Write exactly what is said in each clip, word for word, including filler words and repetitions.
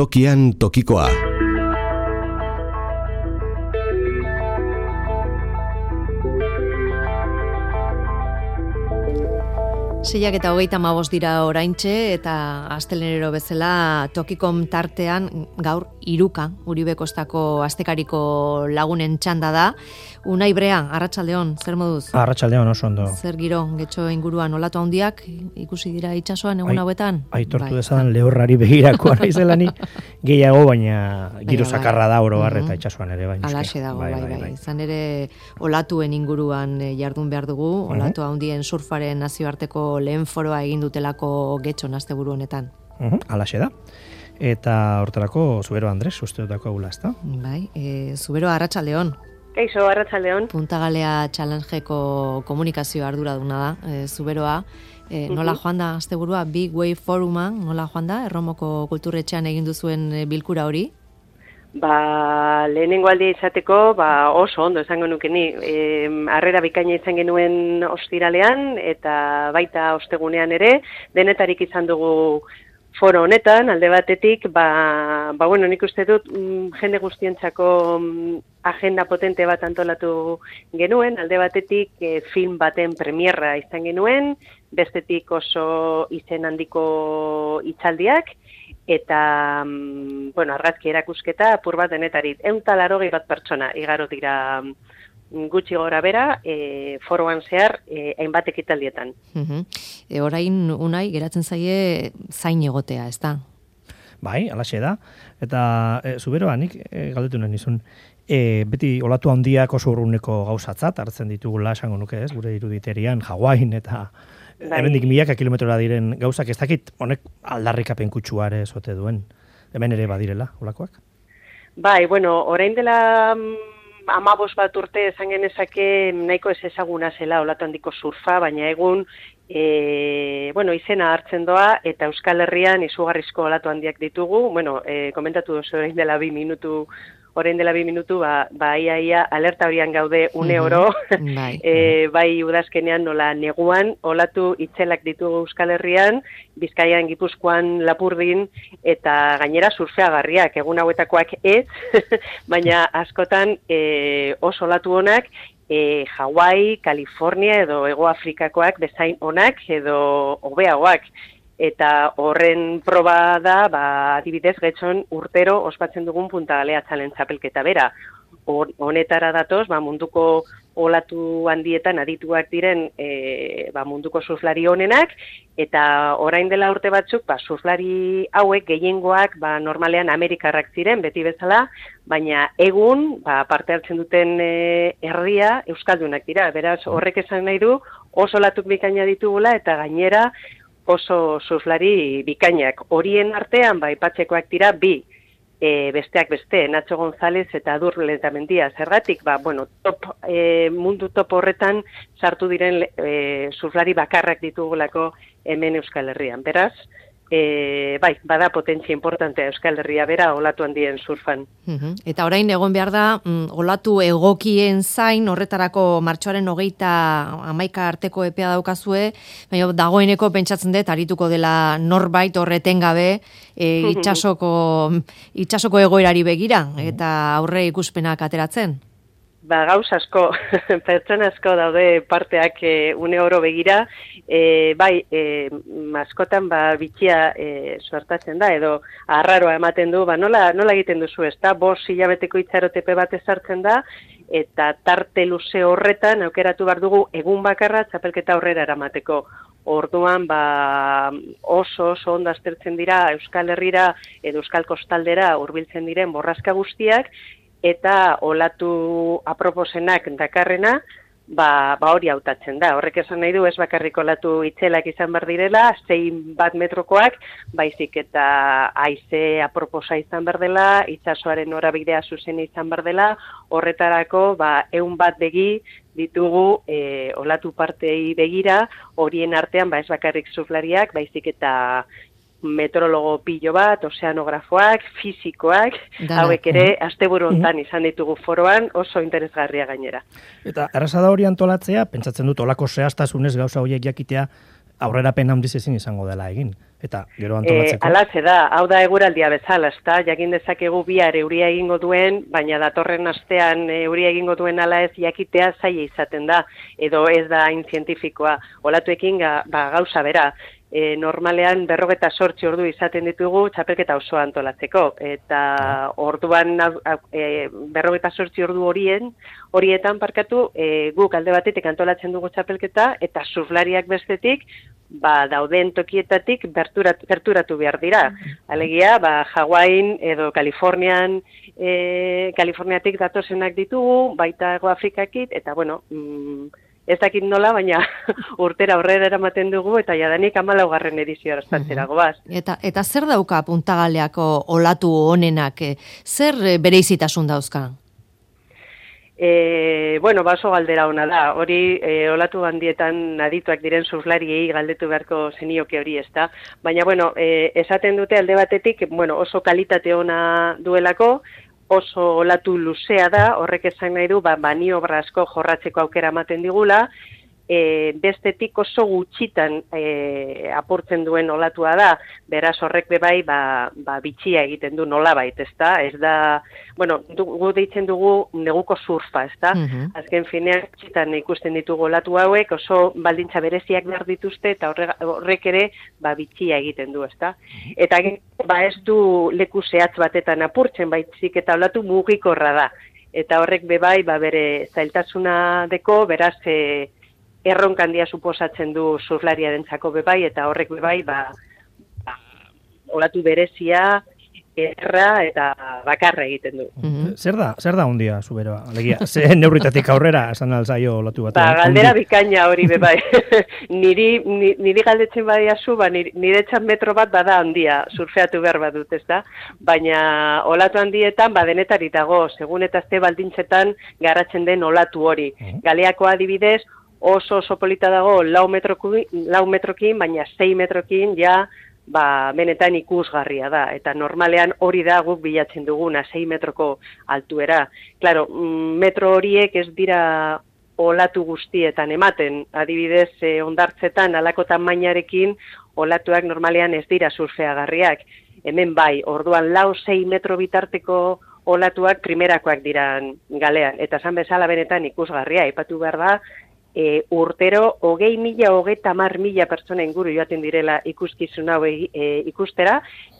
Tokian tokikoa. Seiak eta hogeita hamabost dira oraintxe eta astelehenero bezala Tokikom tartean gaur hiruka Uribe Kostako astekariko lagunen txanda da. Unai Brea, arratsaldeon, zer moduz? Arratsaldeon oso ondo. Zer giro, getxo inguruan olatu handiak ikusi dira itsasoan egun hauetan? Aitortu bai, dezadan lehorrari begirakoa naizela ni gehiago, baina giro zakarra da oro har eta itsasoan ere bai. Alaxe dago, bai, bai, bai, bai. Izan ere olatuen inguruan jardun behar dugu, olatu handien surfaren nazioarteko lehen foroa egin dutelako getxon asteburu honetan. Uh-huh, alaxe da. Eta hortarako Zubero Andres usteotako agula, ezta? Bai, e, Zubero arratsaldeon. Kaixo, arratsaldeon. Punta Galea Challengeko komunikazio arduraduna da, e, Zuberoa. E, nola joan da asteburua Big Wave Foruma, nola joan da Erromoko kulturretxean egin duzuen bilkura hori? Ba, lehenengo aldia izateko, ba, oso ondo esango nuke ni. E, harrera bikaina izan genuen ostiralean eta baita ostegunean ere, denetarik izan dugu foro honetan, alde batetik, ba, ba bueno, nik uste dut mm, jende guztientzako mm, agenda potente bat antolatu genuen, alde batetik e, film baten premierra izan genuen, bestetik oso izen handiko hitzaldiak, eta, mm, bueno, argazki erakusketa apur bat denetarik. Ehun eta laurogei bat pertsona igaro dira gutxi gora bera, e, foroan zehar, e, hainbat ekitaldietan. Uh-huh. E, orain, Unai, geratzen zaie zain egotea, ez da? Bai, alaxe da. Eta e, Zuberoa, nik e, galdetu nahi nizun, e, beti olatu handiak oso urruneko gauzatzat hartzen ditugula, esango nuke ez, gure iruditerian, Hawain eta bai, hemendik milaka kilometrora diren gauzak, ez dakit honek aldarrikapen kutsuare ezote duen, hemen ere badirela, olakoak? Bai, bueno, orain dela amabos bat urte esan genezake nahiko ez ezaguna zela olatu handiko surfa, baina egun e, bueno, izena hartzen doa eta Euskal Herrian izugarrizko olatu handiak ditugu. Bueno, e, komentatu duzu orain dela bi minutu, orain dela bi minutu, ba, ba ia, ia alerta horian gaude une oro, mm-hmm. bai. e, bai udazkenean nola neguan, olatu itzelak ditugu Euskal Herrian, Bizkaian, Gipuzkoan, Lapurdin, eta gainera surfeagarriak, egun hauetakoak ez, baina askotan e, oso olatu honak, e, Hawaii, California edo Hego Afrikakoak bezain onak edo hobeagoak. Eta horren proba da, ba, adibidez, getxon urtero ospatzen dugun Punta Galea Challenge txapelketa bera. Honetara datoz, ba, munduko olatu handietan adituak diren e, ba, munduko surflari honenak, eta orain dela urte batzuk, ba, surflari hauek gehiengoak ba, normalean Amerikarrak ziren, beti bezala, baina egun, ba, parte hartzen duten e, herria euskaldunak dira. Beraz, horrek esan nahi du, oso olatuk bikaina ditugula, eta gainera, oso surflari bikainak. Horien artean, ba, aipatzekoak dira bi, e, besteak beste, Nacho González eta Adur Letamendia. Zergatik, ba, bueno, top, e, mundu top horretan sartu diren e, surflari bakarrak ditugulako hemen Euskal Herrian. Beraz, e, bai, bada potentzia importantea Euskal Herria bera olatu handien surfan. Uh-huh. Eta orain egon behar da, mm, olatu egokien zain, horretarako martxoaren hogeita hamaika arteko epea daukazue, baina dagoeneko pentsatzen dut, arituko dela norbait horreten gabe, e, itxasoko, itxasoko egoerari begira, eta aurre ikuspenak ateratzen. Ba, gauz asko, pertsona asko daude parteak e, une oro begira, e, bai, e, askotan ba, bitxia e, suertatzen da, edo arraroa ematen du, ba, nola, nola egiten duzu, ez da, bos hilabeteko itxarotepe bat ezartzen da, eta tarte luze horretan aukeratu behar dugu egun bakarra txapelketa aurrera eramateko. Orduan, ba, oso, oso ondo aztertzen dira Euskal Herrira edo Euskal Kostaldera hurbiltzen diren borraska guztiak, eta olatu aproposenak dakarrena, ba, ba hori hautatzen da. Horrek esan nahi du, ez bakarrik olatu itzelak izan behar direla, zein bat metrokoak, baizik eta haize aproposa izan behar dela, itsasoaren norabidea zuzen izan behar dela, horretarako, ba, ehun bat begi ditugu e, olatu partei begira, horien artean, ba, ez bakarrik surflariak, baizik eta meteorologo pilo bat, ozeanografoak, fisikoak, hauek ere asteburu hontan izan ditugu foroan, oso interesgarria gainera. Eta erraza da hori antolatzea, pentsatzen dut olako zehaztasunez gauza horiek jakitea aurrerapen handiz ezin izango dela egin. Eta gero antolatzeko. E, Alaze da, hau da eguraldia bezala, ezta? Jakin dezakegu bihar euria egingo duen, baina datorren astean euria egingo duen ala ez jakitea zaila izaten da, edo ez da hain zientifikoa. Olatuekin ga, ba, gauza bera. E, normalean berrogeta sortzi ordu izaten ditugu txapelketa osoa antolatzeko. Eta orduan e, berrogeta sortzi ordu horien, horietan parkatu, e, guk alde batetik antolatzen dugu txapelketa, eta surflariak bestetik, ba, dauden tokietatik berturatu, berturatu behar dira. Alegia, ba, Hawaii edo Kalifornian, e, Kaliforniatik datozenak ditugu, baita Hego Afrikakit, eta bueno, mm, ez dakit nola, baina urtera aurrera eramaten dugu, eta jadanik hamalaugarren edizioa ostatzera goaz. Eta, eta zer dauka Puntagaleako olatu honenak, zer bereizitasun dauzka? E, bueno, baso galdera ona da, hori e, olatu handietan adituak diren surflariei galdetu beharko zenioke hori ez da, baina bueno, e, esaten dute alde batetik, bueno, oso kalitate ona duelako, oso olatu luzea da, horrek esan nahi du, ba, maniobra asko jorratzeko aukera ematen digula, e, bestetik oso gutxitan e, apurtzen duen olatua da, beraz horrek bebai ba, ba, bitxia egiten du nolabait, ez da? Ez da, bueno, gu deitzen dugu neguko surfa, ez da? Uh-huh. Azken finean gutxitan ikusten ditugu olatu hauek, oso baldintza bereziak behar dituzte, eta horrek, horrek ere ba, bitxia egiten du, ez da? Eta ba, ez du leku zehatz batetan apurtzen, baizik eta olatu mugikorra da. Eta horrek bebai ba, bere zailtasuna deko, beraz, e, erronka handia suposatzen du surflariarentzako bebai, eta horrek bebai, ba, ba, olatu berezia, erra eta bakarra egiten du. Mm-hmm. Zer da, zer da hundia, Zuberoa? Alegia, ze neurritatik aurrera, esan alzaio olatu batean. Ba, galdera bikaina hori bebai. niri, niri galdetzen badiazu, ba, nire txan metro bat bada handia, surfeatu behar bat dut, ez da? Baina olatu handietan, ba, denetari dago, segun eta azte baldintzetan garatzen den olatu hori. Mm-hmm. Galeako adibidez, oso oso polita dago lau metrokin, lau metrokin, baina sei metrokin ja ba, benetan ikusgarria da. Eta normalean hori da guk bilatzen duguna, sei metroko altuera. Claro, metro horiek ez dira olatu guztietan ematen. Adibidez, eh, ondartzetan alako tamainarekin olatuak normalean ez dira surfeagarriak. Hemen bai, orduan lau sei metro bitarteko olatuak primerakoak diran galean. Eta esan bezala benetan ikusgarria, aipatu behar da, E, urtero, hogei mila, hogei tamar mila pertsona inguru joaten direla ikuskizun hau e, ikustera,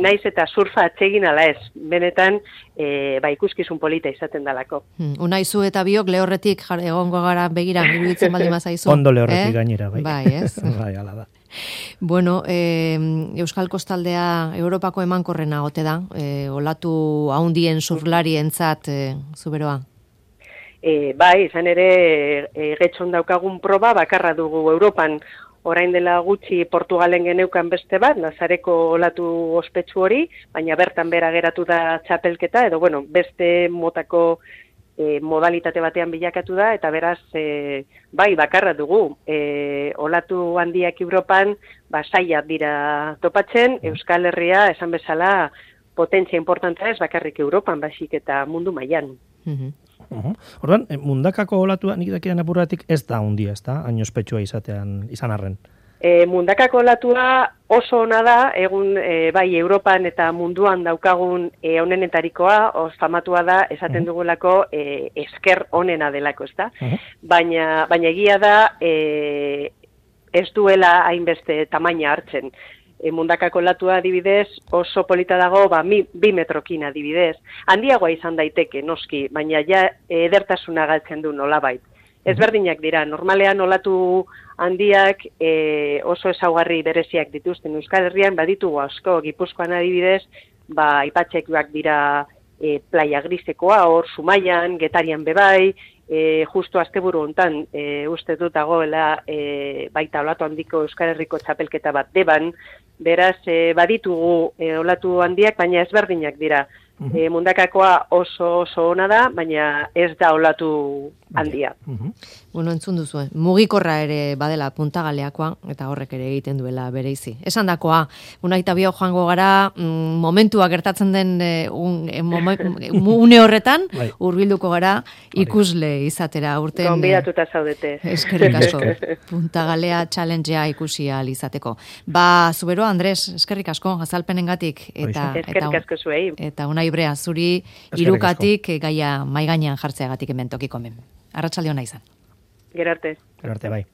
naiz eta surfa atsegin ala ez, benetan e, ba, ikuskizun polita izaten dalako. Hmm, Unaizu eta biok lehorretik egongo gara begira, iruditzen baldin bazaizu. Ondo lehorretik eh? gainera, bai. Bai, ez? Bai, ala da. Bueno, eh, Euskal Kostaldea Europako emankorrena ote da, eh, olatu haundien surflarientzat, eh, Zuberoa? E, bai, izan ere, e, getxon daukagun proba bakarra dugu Europan. Orain dela gutxi Portugalen geneukan beste bat, Nazareko olatu ospetsu hori, baina bertan bera geratu da txapelketa, edo bueno, beste motako e, modalitate batean bilakatu da, eta beraz, e, bai, bakarra dugu. E, olatu handiak Europan, ba, zaila dira topatzen, Euskal Herria, esan bezala, potentzia importantea ez bakarrik Europan, basik eta mundu mailan. Uh-huh. Uh-huh. Orduan, mundakako olatua nik dakidan apuratik ez da hundia, ez da? Hain ospetsua izatean, izan arren. E, mundakako olatua oso ona da, egun e, bai Europan eta munduan daukagun e, onenetarikoa, os famatua da, esaten uh-huh. dugulako e, esker onena delako, ez da? Uh-huh. Baina, baina egia da, e, ez duela hainbeste tamaina hartzen. E, mundakako olatua adibidez oso polita dago ba, mi, bi metrokin adibidez. Handiagoa izan daiteke, noski, baina ja edertasuna galtzen du nolabait. Ezberdinak dira, normalean olatu handiak e, oso ezaugarri bereziak dituzten Euskal Herrian, baditugu asko, Gipuzkoan adibidez, ba, ipatxekuak dira e, playa grisekoa, hor Zumaian, Getarian bebai, E, justu asteburu hontan e, uste dut dagoela e, baita olatu handiko Euskal Herriko txapelketa bat deban, beraz e, baditugu e, olatu handiak, baina ezberdinak dira. Uh-huh. E, mundakakoa oso oso ona da, baina ez da olatu handia. Mhm. Bueno, entzun duzu, mugikorra ere badela puntagaleakoa, eta horrek ere egiten duela bereizi. Esan dakoa, unaita bio joango gara, mm, momentua gertatzen den eh, un, eh, momen, une horretan, Bai. hurbilduko gara ikusle izatera urten. Gonbidatuta zaudete. Eskerrik asko, puntagalea challengea ikusi ahal izateko. Ba, Zubero, Andres, eskerrik asko, azalpenengatik. Eta, Eskerrik eta, asko zuei. eta Unai Brea, zuri Eskerrik irukatik eh, gaia maigainan jartzeagatik hemen tokiko men. Arratsalde ona izan. Gero arte. Gero arte, bai.